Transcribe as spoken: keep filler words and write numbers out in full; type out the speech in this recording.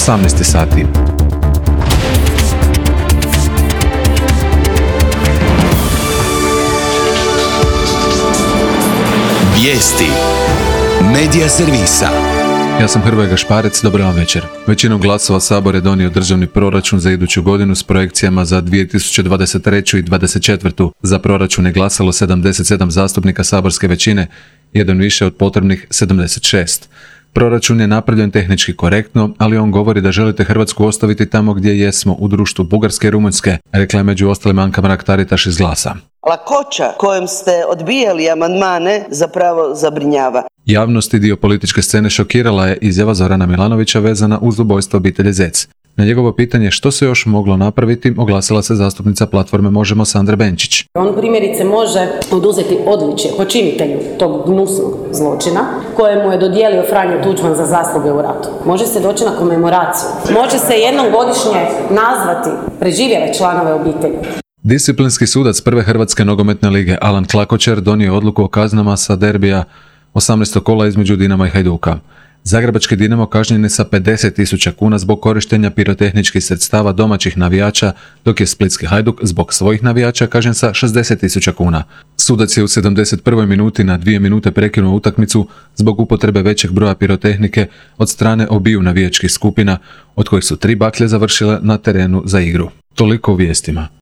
osamnaest sati. Vijesti Medija servisa. Ja sam Hrvoje Gašparec, dobar vam večer. Većinom glasova Sabor je donio državni proračun za iduću godinu s projekcijama za dvije tisuće dvadeset treću. i dvadeset četvrtu. Za proračun je glasalo sedamdeset sedam zastupnika saborske većine, jedan više od potrebnih sedamdeset šest. Proračun je napravljen tehnički korektno, ali on govori da želite Hrvatsku ostaviti tamo gdje jesmo, u društvu Bugarske i Rumunjske, rekla je među ostalim Anka Mrak-Taritaš iz Glasa. Lakoća kojom ste odbijali amandmane zapravo zabrinjava. Javnost i dio političke scene šokirala je izjava Zorana Milanovića vezana uz ubojstvo obitelji Zec. Na njegovo pitanje što se još moglo napraviti, oglasila se zastupnica platforme Možemo Sandra Benčić. On primjerice može oduzeti odličje počinitelju tog gnusnog zločina kojemu je dodijelio Franjo Tuđman za zasluge u ratu. Može se doći na komemoraciju. Može se jednom godišnje nazvati preživjele članove obitelji. Disciplinski sudac prve Hrvatske nogometne lige Alan Klakočar donio odluku o kaznama sa derbija osamnaestog kola između Dinama i Hajduka. Zagrebački Dinamo kažnjen je sa pedeset tisuća kuna zbog korištenja pirotehničkih sredstava domaćih navijača, dok je splitski Hajduk zbog svojih navijača kažnjen sa šezdeset tisuća kuna. Sudac je u sedamdeset prvoj minuti na dvije minute prekinuo utakmicu zbog upotrebe većeg broja pirotehnike od strane obiju navijačkih skupina, od kojih su tri baklje završile na terenu za igru. Toliko u vijestima.